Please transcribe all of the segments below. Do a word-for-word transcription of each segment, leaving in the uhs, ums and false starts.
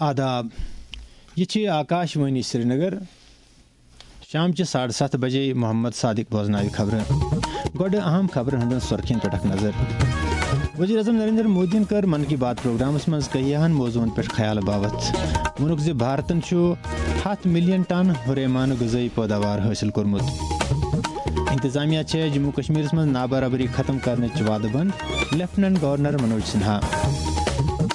آداب، یہِ چھِ آکاش وانی سرینگر۔ شام چہِ ساڑٕ ستھ بجے محمد صادق بوزناوِ خبرٕ۔ گۄڈٕ اہم خبرن ہٕنٛدٮ۪ن سُرخین پٮ۪ٹھ اکھ نظر۔ وزیر اعظم نریندر مودیَن کٔر من کی بات پروگرامس منٛز کیاہن موضوعن پٮ۪ٹھ خیال باوتھ۔ ووٚنُکھ زِ بھارتن چھُ ہتھ ملین ٹن ہُریمانہٕ غذٲیی پٲداوار حٲصِل کوٚرمُت۔ انتظامیہ چھےٚ جموں کشمیرس منٛز نابرابری ختم کرنٕچ وعدٕ بنٛد، لیفٹیننٹ گورنر منوج سنہا۔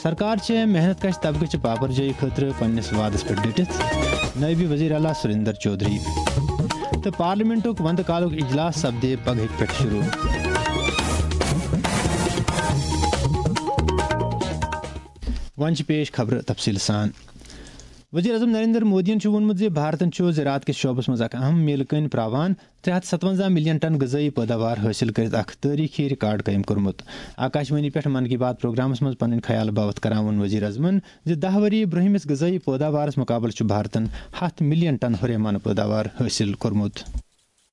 سرکار چھےٚ محنت کش طبقہٕ چہِ پاپرجٲیی خٲطرٕ پننِس وعدس پٮ۪ٹھ ڈٔٹِتھ، نٲیِب وزیر اعلیٰ سریندر چودھری۔ تہٕ پارلیمنٹُک وندٕ کالُک اجلاس سپدِ پگہٕکۍ پٮ۪ٹھ شروع۔ وۄنۍ چھِ پیش خبرٕ تفصیٖل سان۔ وزیر اعظم نریندر مودیَن چھُ ووٚنمُت زِ بھارتن چھُ زراعت کِس شعبس منٛز اکھ اہم میلہٕ کٔنۍ پراوان ترٛےٚ ہتھ ستونزہ ملین ٹن غذٲیی پٲداوار حٲصِل کٔرِتھ اکھ تٲریخی ریکارڈ قٲیِم کوٚرمُت۔ آکاشوانی پٮ۪ٹھ من کی بات پروگرامس منٛز پنٕنۍ خیال باوتھ کران ووٚن وزیر اعظمن زِ دَہ ؤری برٛونٛہمِس غذٲیی پٲداوارس مُقابلہٕ چھُ بھارتن ہتھ ملین ٹن ہُریمانہٕ پٲداوار حٲصِل کوٚرمُت۔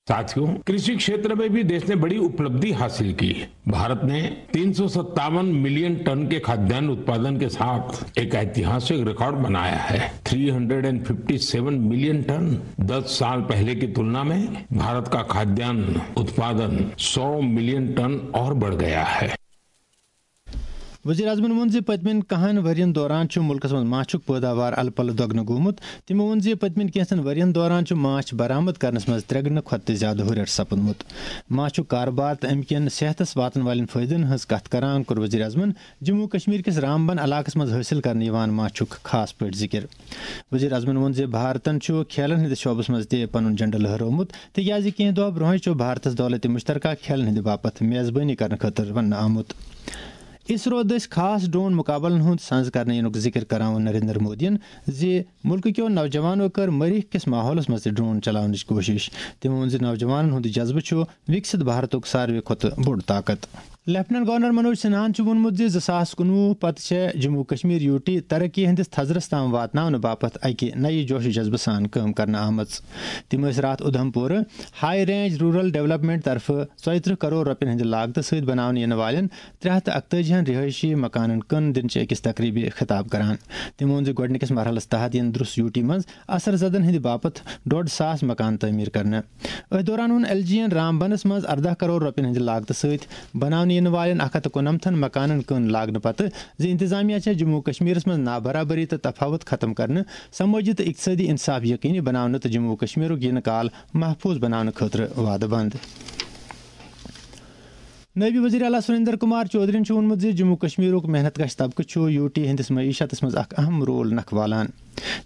साथियों, कृषि क्षेत्र में भी देश ने बड़ी उपलब्धि हासिल की। भारत ने तीन सौ सत्तावन मिलियन टन के खाद्यान्न उत्पादन के साथ एक ऐतिहासिक रिकॉर्ड बनाया है। Three hundred and fifty seven million tonne. दस साल पहले की तुलना में भारत का खाद्यान्न उत्पादन सौ मिलियन टन और बढ़ गया है। وزیر اعظمن ووٚن زِ پٔتمٮ۪ن کہن ؤرین دوران چھُ مُلکس منٛز ماچھُک پٲداوار الہٕ پلہٕ دۄگنہٕ گوٚمُت۔ تِمو ووٚن زِ پٔتمٮ۪ن کینٛژن ؤرین دوران چھُ ماچھ برآمد کرنس منٛز ترٛےٚ گُنہٕ کھۄتہٕ تہِ زیادٕ ہُرٮ۪ر سپُدمُت۔ ماچھُک کارٕبار تہٕ اَمہِ کٮ۪ن صحتس واتن والٮ۪ن فٲیدن ہٕنٛز کتھ کران کوٚر وزیر اعظمن جموں کشمیر کِس رامبن علاقس منٛز حٲصِل کرنہٕ یِوان ماچھُک خاص پٲٹھۍ ذِکِر۔ وزیر اعظمن ووٚن زِ بھارتن چھُ کھیلن ہٕنٛدِس شعبس منٛز تہِ پنُن جھنڈٕ لہرٲومُت، تِکیازِ کینٛہہ دۄہ برونٛہٕے چھُ بھارتس دولت مشترکہ کھیلن ہٕنٛدِ باپتھ میزبٲنی کرنہٕ خٲطرٕ وننہٕ آمُت۔ اسرو دٔسۍ خاص ڈرون مقابلن ہُنٛد سنز کرنہٕ یِنُک ذِکِر کران ووٚن نریندر مودیَن زِ مُلکہٕ کیو نوجوانو کٔر مریخ کِس ماحولس منٛز تہِ ڈرون چلاونٕچ کوٗشش۔ تٔمۍ ووٚن زِ نوجوانن ہُنٛد جذبہٕ چھُ وِکسِت بھارتُک ساروٕے کھۄتہٕ بوٚڑ طاقت۔ لیفٹیننٹ گورنر منوج سنہاہن چھُ ووٚنمُت زِ زٕ ساس کُنوُہ پتہٕ چھےٚ جموں کشمیر یوٗ ٹی ترقی ہٕنٛدِس تھزرس تام واتناونہٕ باپتھ اکہِ نَیہِ جوش و جذبہٕ سان کٲم کرنہٕ آمٕژ۔ تِم ٲسۍ راتھ اُدھمپورٕ ہائی رینج رورل ڈیولپمنٹ طرفہٕ ژۄیہِ ترٕٛہ کرور رۄپین ہٕنٛدِ لاگتہٕ سۭتۍ بناونہٕ یِنہٕ والٮ۪ن ترٛےٚ ہتھ تہٕ اکتٲجی ہن رہٲیشی مکانن کٕن دِنہٕ چہِ أکِس تقریبہِ خطاب کران۔ تٔمۍ ووٚن زِ گۄڈٕنِکِس مرحلس تحت یِن درُس یوٗ ٹی منٛز اثر زدن ہٕنٛدِ باپتھ ڈۄڈ ساس مکان تعمیٖر کرنہٕ۔ أتھۍ دوران ووٚن ایل جی یَن رام بنَس منٛز ارداہ کرور رۄپیَن ہٕنٛدِ لاگتہٕ سۭتۍ بناونہٕ یِنہٕ والٮ۪ن اکھ ہتھ تہٕ کُننمتھن مکانن کٕن لاگنہٕ پتہٕ زِ انتظامیہ چھےٚ جموں و کشمیرس منٛز نابرابری تہٕ تفاوت ختم کرنہٕ، سمٲجی تہٕ اقتصٲدی انصاف یقینی بناونہٕ تہٕ جموں و کشمیرُک یِنہٕ کال محفوظ بناونہٕ خٲطرٕ وعدٕ بنٛد۔ نٲیِب وزیر اعلیٰ سریندر کمار چودھرین چھُ ووٚنمُت زِ جموں و کشمیرُک محنت کش طبقہٕ چھُ یوٗ ٹی ہٕنٛدِس معیشتس منٛز اکھ اہم رول نکھٕ والان۔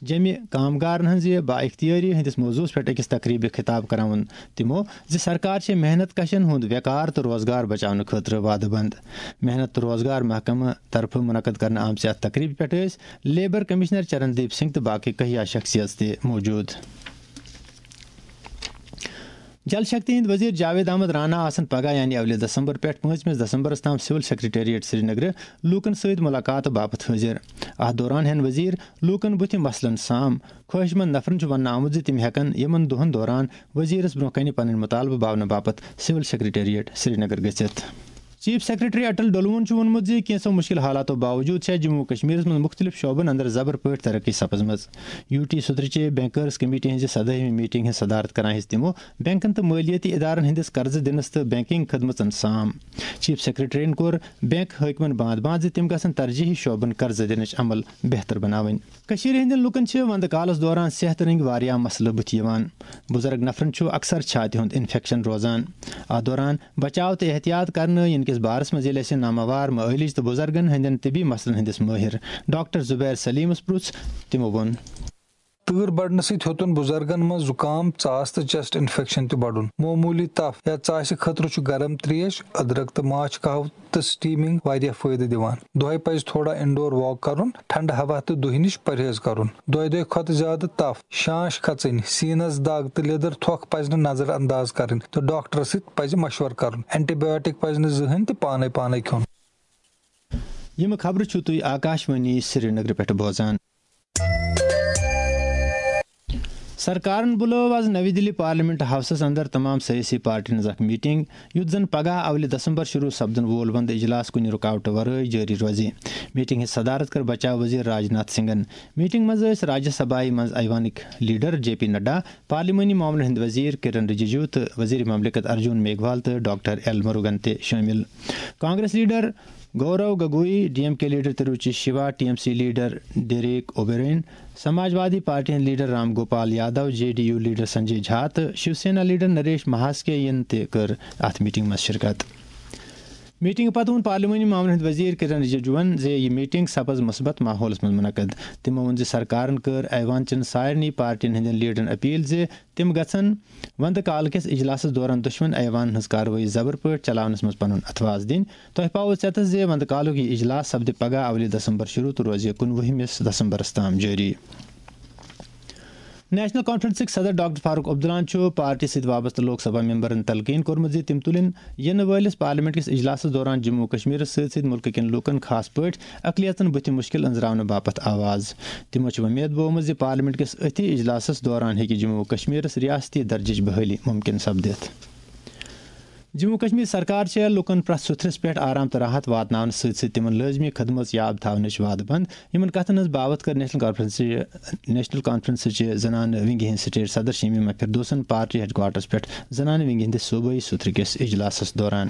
جیٚمہِ کامگارن ہٕنٛزِ با اختیٲری ہٕنٛدِس موضوعس پٮ۪ٹھ أکِس تقریبہِ خطاب کران ووٚن تِمو زِ سرکار چھےٚ محنت کشن ہُنٛد وقار تہٕ روزگار بچاونہٕ خٲطرٕ وعدٕ بنٛد۔ محنت تہٕ روزگار محکمہٕ طرفہٕ منعقد کرنہٕ آمژِ اتھ تقریبہِ پٮ۪ٹھ ٲسۍ لیبر کمشنر چرن دیپ سنگھ تہٕ باقٕے کہیا شخصیژ تہِ موجود۔ جل شکتی ہٕنٛدۍ وزیر جاوید احمد رانا آسن پگاہ یعنی اولہِ دسمبر پٮ۪ٹھ پٲنٛژمِس دسمبرس تام سول سیکرٹریٹ سرینگرٕ لوٗکن سۭتۍ مُلاقات باپتھ حٲضِر۔ اتھ دوران ہٮ۪ن وزیر لوٗکن بُتھِ مسلن سام۔ خٲہِش مند نفرن چھُ وننہٕ آمُت زِ تِم ہٮ۪کن یِمن دۄہن دوران وزیرس برونٛہہ کنہِ پنٕنۍ مُطالبہٕ باونہٕ باپتھ سول سیکرٹریٹ سرینگر گٔژھِتھ۔ چیف سیکرٹری اٹل ڈولوہن چھُ ووٚنمُت زِ کینٛژھو مُشکِل حالاتو باوجوٗد چھےٚ جموں و کشمیرس منٛز مُختٔلِف شعبن اندر زبر پٲٹھۍ ترقی سپٕزمٕژ۔ یوٗ ٹی سترٕ چہِ بینکرز کمیٹی ہٕنٛزِ سدٲہمہِ میٹنگ ہٕنٛز صدارت کران ہیٚژ تِمو بینکن تہٕ مٲلیٲتی ادارن ہٕنٛدِس قرضہٕ دِنس تہٕ بینکنگ خدمژن سام۔ چیف سیکرٹریَن کوٚر بینک حٲکمن باند باند زِ تِم گژھن ترجیحی شعبن قرضہٕ دِنٕچ عمل بہتر بناوٕنۍ۔ کٔشیٖرِ ہٕنٛدٮ۪ن لوٗکن چھِ ونٛدٕ کالس دوران صحتہٕ رٔنٛگۍ واریاہ مسلہٕ بُتھِ یِوان۔ بُزرگ نفرن چھُ اکثر چھاتہِ ہُنٛد انفیکشن روزان۔ اتھ دوران بچاو تہٕ احتیاط کرنہٕ یِنہٕ کِس بارس منٛز ییٚلہِ اَسہِ ناماوار معٲلج تہٕ بُزرگن ہٕنٛدٮ۪ن طبی مسلن ہٕنٛدِس مٲہِر ڈاکٹر زبیر سلیمس پرُژھ، تِمو ووٚن۔ تۭر بڑنہٕ سۭتۍ ہیوٚتُن بُزرگن منٛز زُکام، ژاس تہٕ چیسٹ انفیکشن تہِ بڑُن۔ معموٗلی تپھ یا ژاسہِ خٲطرٕ چھُ گرم تریش، أدرک تہٕ ماچھ قہوٕ تہٕ سٹیمنگ واریاہ فٲیدٕ دِوان۔ دۄہے پزِ تھوڑا انڈور واک کرُن، ٹھنڈٕ ہوا تہٕ دُہہِ نِش پرہیز کرُن۔ دۄیہِ دۄہہِ کھۄتہٕ زیادٕ تپھ، شانش کھژٕنۍ، سینس دگ تہٕ لیدٕر تھۄکھ پزِ نہٕ نظر انداز کرٕنۍ تہٕ ڈاکٹرس سۭتۍ پزِ مشورٕ کرُن۔ اینٹی بایوٹک پزِ نہٕ زٕہٕنۍ تہِ پانے پانے کھیوٚن۔ یِم خبرٕ چھِو تُہۍ آکاشوانی سرینگرٕ پٮ۪ٹھ بوزان۔ سرکارن بُلٲو آز نَوِ دِلہِ پارلیمنٹ ہاوسس اندر تمام سیٲسی پارٹین ہٕنٛز اکھ میٹنگ، یُتھ زن پگاہ اولہِ دسمبر شروع سپدن وول ونٛدٕ اجلاس کُنہِ رُکاوٹہٕ ورٲے جٲری روزِ۔ میٹنگ ہٕنٛز صدارت کٔر بچاو وزیر راج ناتھ سنگھن۔ میٹنگ منٛز ٲسۍ راجیہ سبھایہ منٛز ایوانٕکۍ لیڈر جے پی نڈا، پارلیمانی معاملن ہٕنٛدۍ وزیر کِرن رِجِجو تہٕ وزیر مملکت ارجُن میگھوال تہٕ ڈاکٹر ایل مروگن تہِ شٲمِل۔ Congress leader Gaurav Gogoi, D M K leader Tiruchi Siva, T M C leader Derek O'Brien, Samajwadi party ہٕنٛدۍ leader Ram Gopal Yadav, J D U leader Sanjay Jha تہٕ شیو سینا لیڈر نریش مہاسکے ین تہِ کٔر اتھ میٹنگ منٛز شرکت۔ میٹنگ پتہٕ ووٚن پارلیمانی معاملن ہٕنٛدۍ وزیر کِرن رِجِجوَن زِ یہِ میٹنگ سپٕز مثبت ماحولَس منٛز منعقد۔ تِمَو ووٚن زِ سرکارَن کٔر ایوان چٮ۪ن سارنٕے پارٹیَن ہٕنٛدٮ۪ن لیڈرَن اپیل زِ تِم گژھن وندٕ کالہٕ کِس اجلاسَس دوران دشمن ایوانَن ہٕنٛز کاروٲیی زبر پٲٹھۍ چلاونَس منٛز پنُن اتھواز دِنۍ۔ تۄہہِ پاوو ژٮ۪تَس زِ وندٕ کالُک یہِ اجلاس سپدِ پگہہ اولہِ دسمبر شروع تہٕ روزِ کُنوُہمِس دسمبرَس تام جٲری۔ نیشنل کانفرنسٕکۍ صدر ڈاکٹر فاروق عبداللہَن چھُ پارٹی سۭتۍ وابستہٕ لوک سبھا ممبرَن تلقین کوٚرمُت زِ تِم تُلِن یِنہٕ وٲلِس پارلیمنٹ کِس اجلاسَس دوران جموں و کشمیرَس سۭتۍ سۭتۍ مُلکہٕ کٮ۪ن لوٗکَن، خاص پٲٹھۍ اقلیتَن، بُتھِ مُشکِل أنٛزراونہٕ باپتھ آواز۔ تِمَو چھِ وۄمید بوومُت زِ پارلیمنٹ کِس أتھی اجلاسَس دوران ہیٚکہِ جموں و کشمیرَس ریاستی درجٕچ بحٲلی مُمکِن سپدِتھ۔ جموں و کشمیر سرکار چھےٚ لوٗکَن پرٛٮ۪تھ سُتھرِس پٮ۪ٹھ آرام تہٕ راحت واتناونہٕ سۭتۍ سۭتۍ تِمَن لٲزمی خدمژ یاب تھاونٕچ وعدٕ بنٛد۔ یِمَن کتھَن ہٕنٛز باوتھ کٔر نیشنل کانفرنسٕچہِ، نیشنل کانفرنسٕچہِ زنانہٕ ونگہِ ہٕنٛدۍ سٹیٹ صدر شمیمہ فردوسن پارٹی ہیڈ کوارٹرس پٮ۪ٹھ زنانہٕ ونگہِ ہٕنٛدِس صوبٲئی سُتھرٕ کِس اجلاسَس دوران۔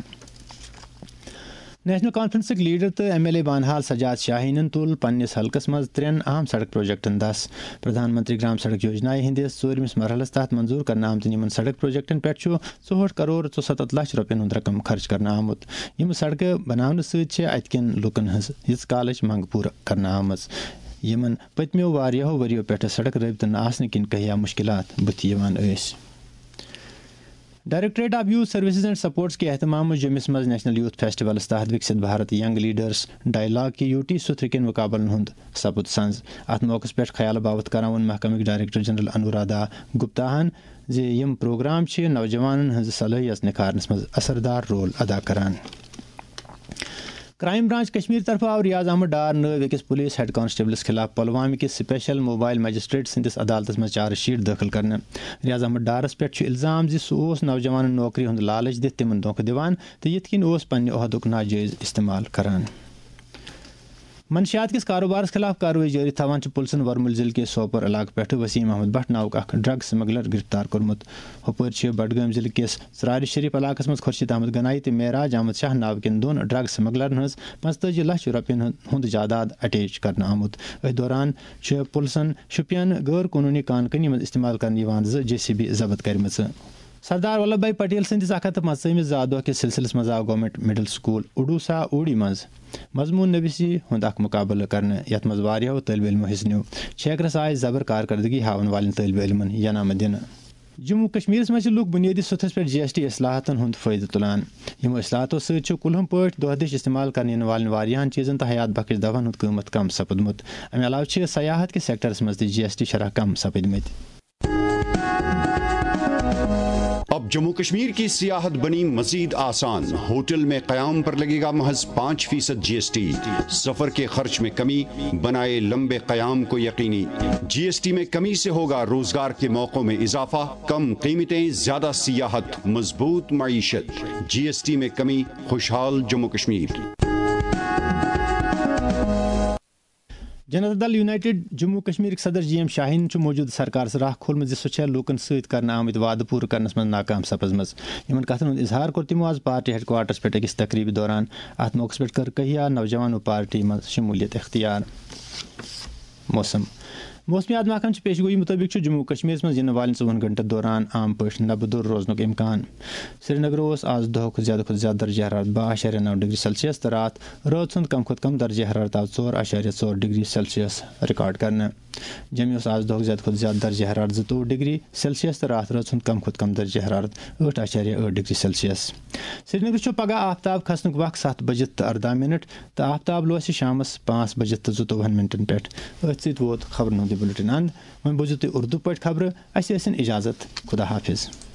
نیشنل کانفرنسٕکۍ لیڈر تہٕ M L A Banihal Sajad شاہینن تُل پننِس حلقس منٛز ترٛٮ۪ن اہم سڑک پروجیکٹن دس۔ پردھان منتری گرام سڑک یوجنایہِ ہٕنٛدِس ژوٗرمِس مرحلس تحت منظور کرنہٕ آمتٮ۪ن یِمن سڑک پروجیکٹن پٮ۪ٹھ چھُ ژُہٲٹھ کرور ژُسَتَتھ لچھ رۄپین ہُنٛد رقم خرچ کرنہٕ آمُت۔ یِم سڑکہٕ بناونہٕ سۭتۍ چھِ اتہِ کٮ۪ن لوٗکن ہٕنٛز ییٖژ کالٕچ منٛگ پوٗرٕ کرنہٕ آمٕژ، یِمن پٔتمیو واریاہو ؤرِیو پٮ۪ٹھٕ سڑک رٲبطہٕ نہٕ آسنہٕ کِنۍ کہیا مُشکِلات بُتھِ یِوان ٲسۍ۔ Directorate of youth services and sports کہِ اہتمام منٛز جوٚمِس منٛز نیشنل یوتھ فیسٹیولس تحت وکسِت بھارت ینگ لیڈرز ڈائیلاگ کہِ یوٹی سُتھرٕ کٮ۪ن مُقابلن ہُنٛد سپُد سنز۔ اتھ موقعس پٮ۪ٹھ خیال باوتھ کران ووٚن محکمٕکۍ ڈائریکٹر جنرل انورادھا گپتاہن زِ یِم پروگرام چھِ نوجوانن ہٕنٛز صلٲحیت نکھارنس منٛز اثردار رول ادا کران۔ کرائم برانچ کشمیر طرفہٕ آو ریاض احمد ڈار نٲوۍ أکِس پولیس ہیڈ کانسٹیبلس خلاف پلوامہ کِس سپیشل موبائل مجسٹریٹ سٕنٛدِس عدالتس منٛز چارج شیٹ دٲخل کرنہٕ۔ ریاض احمد ڈارس پٮ۪ٹھ چھُ الزام زِ سُہ اوس نوجوانن نوکری ہُنٛد لالچ دِتھ تِمن دھوکہٕ دِوان تہٕ یِتھ کٔنۍ اوس پننہِ عہدُک ناجٲیز استعمال کران۔ منشیات کِس کاروبارس خلاف کاروٲیی جٲری تھاوان چھِ پُلسن ورمُل ضلعہٕ کِس سوپور علاقہٕ پٮ۪ٹھٕ وسیم احمد بٹ ناوُک اکھ ڈرگ سمگلر گرفتار کوٚرمُت۔ ہُپٲرۍ چھِ بڈگٲمۍ ضلعہٕ کِس ژرارِ شریف علاقس منٛز خورشید احمد گنایی تہٕ معراج احمد شاہ ناوٕ کٮ۪ن دۄن ڈرگ سمگلرن ہٕنٛز پانٛژتٲجی لچھ رۄپین ہُنٛد زائیداد اٹیچ کرنہٕ آمُت۔ أتھۍ دوران چھِ پُلسن شُپین غٲر قونوٗنی کان کٔنی منٛز استعمال کرنہٕ یِوان زٕ جے سی بی ضبط کرِمژٕ۔ سردار ولبھ بھائی پٹیل سٕنٛدِس اکھ ہتھ تہٕ پانٛژتٲجِمِس زا دۄہ کِس سلسلس منٛز آو گورنمنٹ مڈل سکول اڈوسا اوڈی منٛز مضمون نویسی ہُنٛد اکھ مقابلہٕ کرنہٕ، یتھ منٛز واریاہو طٲلبہِ علمو حصہٕ نیوٗ۔ چھیکرس آیہِ زبر کارکردگی ہاونہٕ والٮ۪ن طٲلبہِ علمن ینامہٕ دِنہٕ۔ جموں و کشمیرس منٛز چھِ لوٗکھ بُنیٲدی سطحس پٮ۪ٹھ جی ایس ٹی اصلاحاتن ہُنٛد فٲیدٕ تُلان۔ یِمو اصلاحاتو سۭتۍ چھُ کُلہُم پٲٹھۍ دۄہ دِش استعمال کرنہٕ یِنہٕ والٮ۪ن واریاہن چیٖزن تہٕ حیات بخش دوہن ہُنٛد قۭمتھ کم سپُدمُت۔ امہِ علاوٕ چھِ سیاحت کِس سیکٹرس منٛز تہِ جی ایس ٹی شرح کم سپٕدمٕتۍ۔ اب جموں کشمیر کی سیاحت بنی مزید آسان۔ ہوٹل میں قیام پر لگے گا محض پانچ فیصد جی ایس ٹی۔ سفر کے خرچ میں کمی، بنائے لمبے قیام کو یقینی۔ جی ایس ٹی میں کمی سے ہوگا روزگار کے موقعوں میں اضافہ، کم قیمتیں، زیادہ سیاحت، مضبوط معیشت۔ جی ایس ٹی میں کمی، خوشحال جموں کشمیر۔ جنتا دل یونائیٹڈ جموں کشمیرٕکۍ صدر جی ایم شاہین چھُ موجودٕ سرکارس راہ کھولمُت زِ سۄ چھےٚ لوٗکن سۭتۍ کرنہٕ آمٕتۍ وعدٕ پوٗرٕ کرنس منٛز ناکام سپٕزمٕژ۔ یِمن کتھن ہُنٛد اظہار کوٚر تِمو آز پارٹی ہیڈ کوارٹرس پٮ۪ٹھ أکِس تقریبہِ دوران۔ اتھ موقعس پٮ۪ٹھ کٔر کہیا نوجوانو پارٹی منٛز شمولیت اختیار۔ موسم۔ موسمیات محکمہٕ چہِ پیشگویی مُطٲبِق چھُ جموں و کشمیرس منٛز یِنہٕ والٮ۪ن ژوٚوُہن گھنٹن دوران عام پٲٹھۍ نبہٕ دوٚر روزنُک امکان۔ سرینگر اوس آز دۄہُک زیادٕ کھۄتہٕ زیادٕ درجہ حرارت باہ اَشاریہ نَو ڈگری سیلسیس تہٕ راتھ رٲژ ہُنٛد کم کھۄتہٕ کم درجہ حرارت آو ژور اَشاریہ ژور ڈگری سیلسیس ریکارڈ کرنہٕ۔ جوٚمہِ اوس آز دۄہُک زیادٕ کھۄتہٕ زیادٕ درجہ حرارت زٕتووُہ ڈگری سیلسیس تہٕ راتھ رٲژ ہُنٛد کم کھۄتہٕ کم درجہ حرارت ٲٹھ اَشاریہ ٲٹھ ڈگری سیلسیس۔ سرینگرٕ چھُ پگہہ آفتاب کھسنُک وق ستھ بجہِ تہٕ ارداہ منٹ تہٕ آفتاب لوسہِ شامس پانٛژھ بجہِ تہٕ زٕتووُہن منٹن پٮ۪ٹھ۔ أتھۍ سۭتۍ ووت خبرن ہُنٛد یہِ بُلٹن اند۔ وۄنۍ بوٗزِو تُہۍ اردو پٲٹھۍ خبرٕ۔ اَسہِ ٲسِن اجازت۔ خدا حافظ۔